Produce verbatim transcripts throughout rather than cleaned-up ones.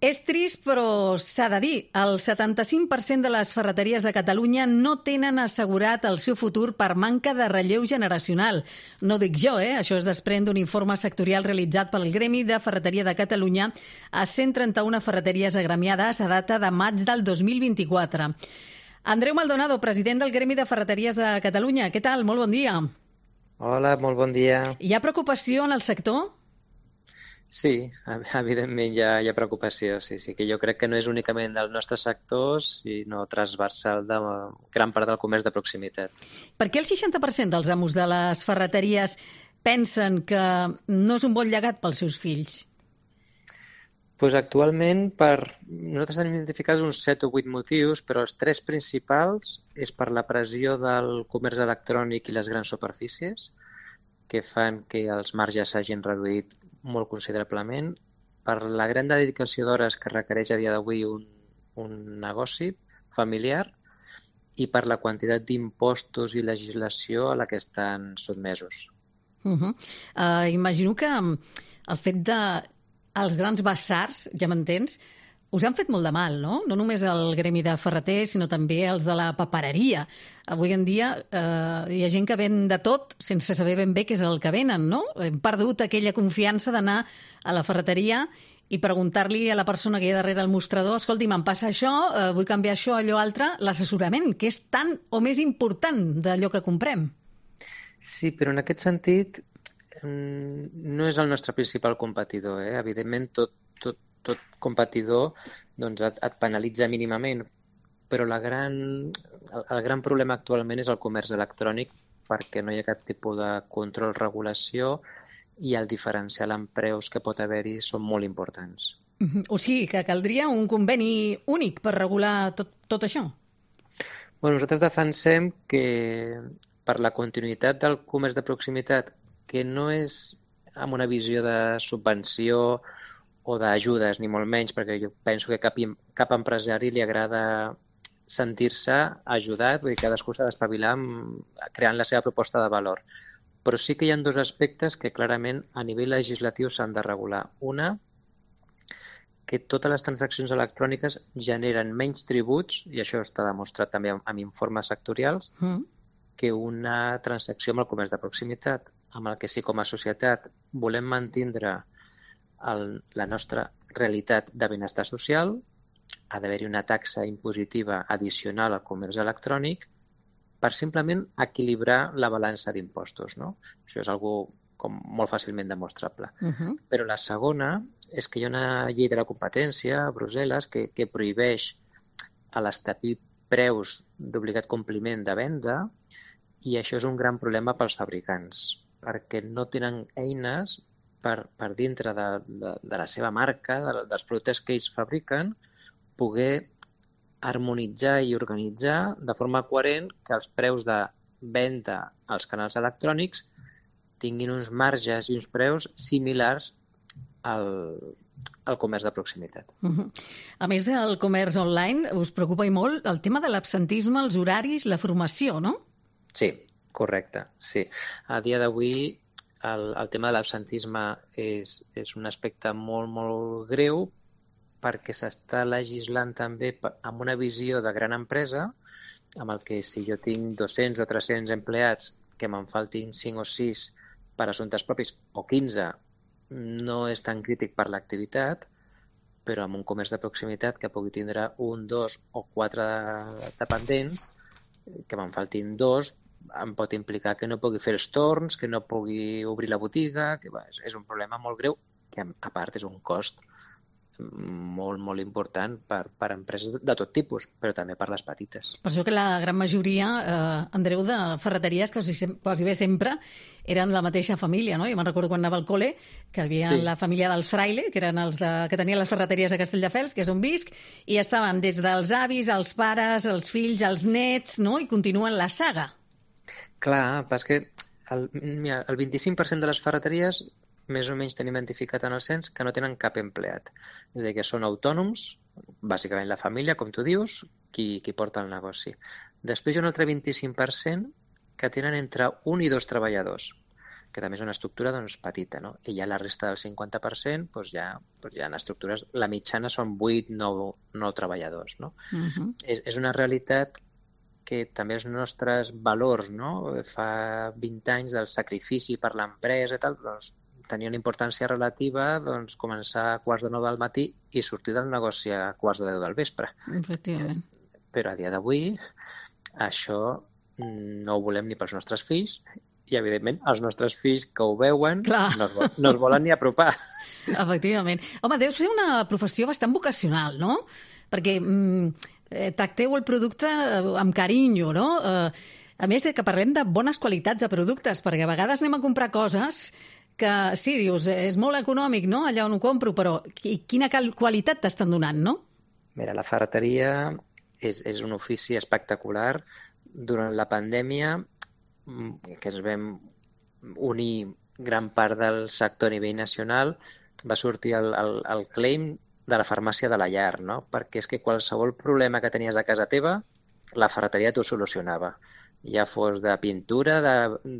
És trist, però s'ha de dir. El setanta-cinc per cent de les ferreteries de Catalunya no tenen assegurat el seu futur per manca de relleu generacional. No ho dic jo, eh? Això es desprèn d'un informe sectorial realitzat pel Gremi de Ferreteria de Catalunya a cent trenta-una ferreteries agremiades a data de maig del dos mil vint-i-quatre. Andreu Maldonado, president del Gremi de Ferreteries de Catalunya. Què tal? Molt bon dia. Hola, molt bon dia. Hi ha preocupació en el sector? Sí, evidentment hi ha, hi ha preocupació, sí, sí, que jo crec que no és únicament del nostre sector, sinó transversal de gran part del comerç de proximitat. Per què el seixanta per cent dels amos de les ferreteries pensen que no és un bon llegat pels seus fills? Pues actualment, per... nosaltres hem identificat uns set o vuit motius, però els tres principals és per la pressió del comerç electrònic i les grans superfícies, que fan que els marges s'hagin reduït molt considerablement, per la gran dedicació d'hores que requereix a dia d'avui un, un negoci familiar i per la quantitat d'impostos i legislació a la que estan sotmesos. Uh -huh. uh, imagino que el fet de els grans basars, ja m'entens, us han fet molt de mal, no? No només el gremi de ferreters, sinó també els de la papereria. Avui en dia eh, hi ha gent que ven de tot sense saber ben bé què és el que venen, no? Hem perdut aquella confiança d'anar a la ferreteria i preguntar-li a la persona que hi ha darrere el mostrador: escolti, me'n passa això, eh, vull canviar això, allò altre, l'assessorament, que és tan o més important d'allò que comprem. Sí, però en aquest sentit no és el nostre principal competidor, eh? Evidentment, tot, tot tot competidor doncs, et, et penalitza mínimament, però la gran, el, el gran problema actualment és el comerç electrònic, perquè no hi ha cap tipus de control, regulació, i el diferencial en preus que pot haver-hi són molt importants. O sigui que caldria un conveni únic per regular tot, tot això? Bueno, nosaltres defensem que per la continuïtat del comerç de proximitat, que no és amb una visió de subvenció o d'ajudes, ni molt menys, perquè jo penso que cap, cap empresari li agrada sentir-se ajudat, vull dir, cadascú s'ha d'espavilar creant la seva proposta de valor. Però sí que hi ha dos aspectes que clarament a nivell legislatiu s'han de regular. Una, que totes les transaccions electròniques generen menys tributs, i això està demostrat també amb informes sectorials, mm. que una transacció amb el comerç de proximitat, amb el que sí com a societat volem mantindre El, la nostra realitat de benestar social, ha d'haver-hi una taxa impositiva addicional al comerç electrònic per simplement equilibrar la balança d'impostos, no? Això és algo com molt fàcilment demostrable. Uh-huh. Però la segona és que hi ha una llei de la competència a Brussel·les que, que prohibeix a l'establir preus d'obligat compliment de venda, i això és un gran problema pels fabricants, perquè no tenen eines Per, per dintre de, de, de la seva marca, de, dels productes que ells fabriquen, poder harmonitzar i organitzar de forma coherent que els preus de venda als canals electrònics tinguin uns marges i uns preus similars al, al comerç de proximitat. Uh-huh. A més del comerç online, us preocupa i molt el tema de l'absentisme, els horaris, la formació, no? Sí, correcte, sí. A dia d'avui El, el tema de l'absentisme és, és un aspecte molt, molt greu, perquè s'està legislant també amb una visió de gran empresa, amb el que si jo tinc dos-cents o tres-cents empleats, que me'n faltin cinc o sis per assumptes propis, o quinze, no és tan crític per l'activitat, però amb un comerç de proximitat que pugui tindre un, dos o quatre dependents, que me'n faltin dos, em pot implicar que no pugui fer els torns, que no pugui obrir la botiga, que va, és, és un problema molt greu, que a part és un cost molt, molt important per, per empreses de tot tipus, però també per les petites. Per això que la gran majoria, eh, Andreu, de ferreteries, quasi, quasi bé sempre, eren la mateixa família, no? Jo me'n recordo quan anava al col·le, que hi havia sí. la família dels Fraile, que eren els de, que tenien les ferreteries a Castelldefels, que és on visc, i estaven des dels avis, els pares, els fills, els nets, no? I continuen la saga. Clar, però és que el, mira, el vint-i-cinc per cent de les ferreteries més o menys tenim identificat en el cens que no tenen cap empleat. És a dir, que són autònoms, bàsicament la família, com tu dius, qui, qui porta el negoci. Després hi ha un altre vint-i-cinc per cent que tenen entre un i dos treballadors. que també és una estructura doncs, petita, no? I ja la resta del cinquanta per cent doncs ja, doncs ja en estructures, la mitjana són vuit nou treballadors, no? Uh-huh. és, és una realitat que també els nostres valors, no? Fa vint anys del sacrifici per l'empresa i tal, doncs tenia una importància relativa doncs, començar a quarts de nou del matí i sortir del negoci a quarts de deu del vespre. Efectivament. Però a dia d'avui això no ho volem ni pels nostres fills i, evidentment, els nostres fills que ho veuen no es, no es volen ni apropar. Efectivament. Home, deu ser una professió bastant vocacional, no? Perquè mm, tracteu el producte amb carinyo, no? Eh, a més que parlem de bones qualitats de productes, perquè a vegades anem a comprar coses que, sí, dius, és molt econòmic, no?, allà on ho compro, però quina qualitat t'estan donant, no? Mira, la ferreteria és, és un ofici espectacular. Durant la pandèmia, que ens vam unir gran part del sector a nivell nacional, va sortir el, el, el claim de la farmàcia de la llar, no? Perquè és que qualsevol problema que tenies a casa teva, la ferreteria t'ho solucionava. Ja fos de pintura, de,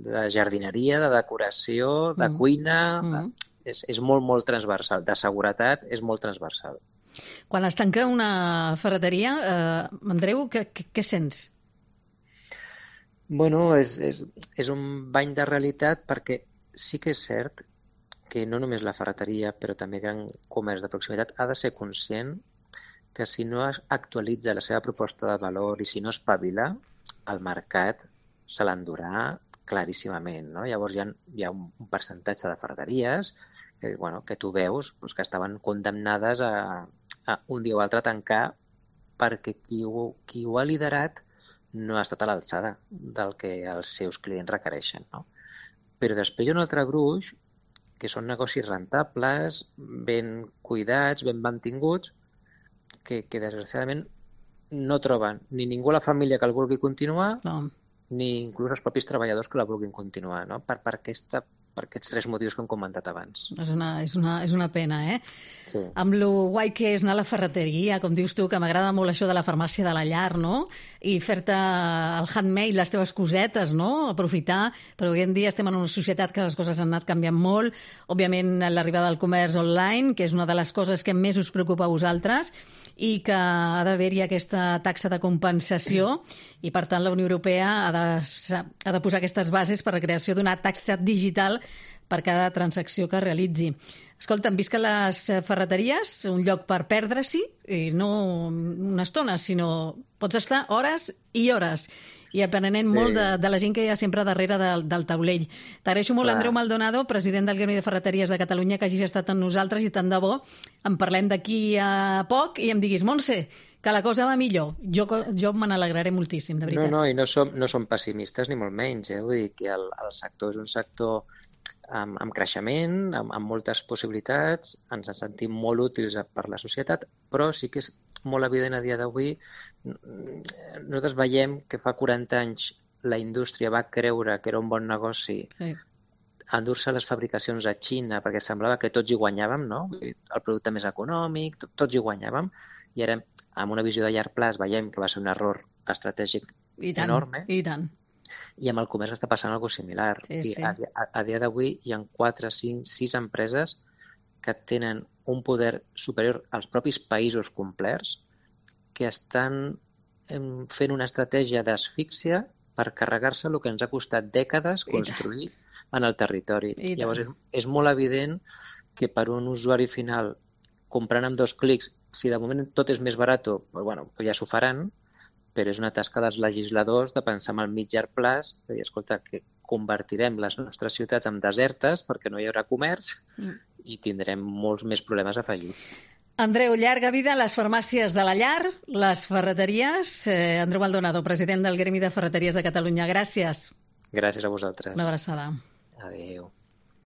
de jardineria, de decoració, de mm. cuina... Mm. De, és, és molt, molt transversal. De seguretat és molt transversal. Quan es tanca una ferreteria, eh, Andreu, què, què, què sents? Bueno, és, és, és un bany de realitat perquè sí que és cert que no només la ferreteria, però també gran comerç de proximitat ha de ser conscient que si no actualitza la seva proposta de valor i si no espavila, el mercat se l'endurà claríssimament, no? Llavors hi ha, hi ha un percentatge de ferreteries que, bueno, que tu veus doncs, que estaven condemnades a, a un dia o altre a tancar perquè qui ho, qui ho ha liderat no ha estat a l'alçada del que els seus clients requereixen, no? Però després hi ha un altre gruix que són negocis rentables, ben cuidats, ben mantinguts, que, que desgraciadament no troben ni ningú a la família que el vulgui continuar, no. Ni inclús els propis treballadors que la vulguin continuar, no? Per, per, aquesta, per aquests tres motius que hem comentat abans. És una, és una, és una pena, eh? Sí. Amb lo guai que és anar a la ferreteria, com dius tu, que m'agrada molt això de la farmàcia de la llar, no? I fer-te el handmade, les teves cosetes, no? Aprofitar, però avui en dia estem en una societat que les coses han anat canviant molt. Òbviament, l'arribada del comerç online, que és una de les coses que més us preocupa a vosaltres, i que ha d'haver-hi aquesta taxa de compensació i, per tant, la Unió Europea ha de, ha de posar aquestes bases per a la creació d'una taxa digital per cada transacció que realitzi. Escolta, hem vist que les ferreteries, un lloc per perdre-s'hi, i no una estona, sinó pots estar hores i hores i aprenent sí. molt de, de la gent que hi ha sempre darrere del, del taulell. T'agraeixo molt, Clar. Andreu Maldonado, president del Gremi de Ferreteries de Catalunya, que hagis estat amb nosaltres i tant de bo en parlem d'aquí a poc i em diguis, Montse, que la cosa va millor. Jo, jo me n'alegraré moltíssim, de veritat. No, no, i no som, no som pessimistes ni molt menys. Eh? Vull dir que el, el sector és un sector amb, amb creixement, amb, amb moltes possibilitats, ens en sentim molt útils per la societat, però sí que és molt evident a dia d'avui. Nosaltres veiem que fa quaranta anys la indústria va creure que era un bon negoci sí. endur-se les fabricacions a Xina perquè semblava que tots hi guanyàvem, no? El producte més econòmic, tots hi guanyàvem, i ara, amb una visió de llarg plaç, veiem que va ser un error estratègic I tant, enorme. I tant. I amb el comerç està passant alguna cosa similar. Sí, sí. I a, a, a dia d'avui hi ha quatre, cinc, sis empreses que tenen un poder superior als propis països complerts que estan fent una estratègia d'asfíxia per carregar-se el que ens ha costat dècades construir en el territori. Llavors és, és molt evident que per un usuari final, comprant amb dos clics, si de moment tot és més barat, bueno, ja s'ho faran, però és una tasca dels legisladors de pensar en el mig llarg plaç, de dir, escolta, que convertirem les nostres ciutats en desertes perquè no hi haurà comerç mm. i tindrem molts més problemes afegits. Andreu, llarga vida a les farmàcies de la llar, les ferreteries. Eh, Andreu Maldonado, president del Gremi de Ferreteries de Catalunya. Gràcies. Gràcies a vosaltres. Una abraçada. Adéu.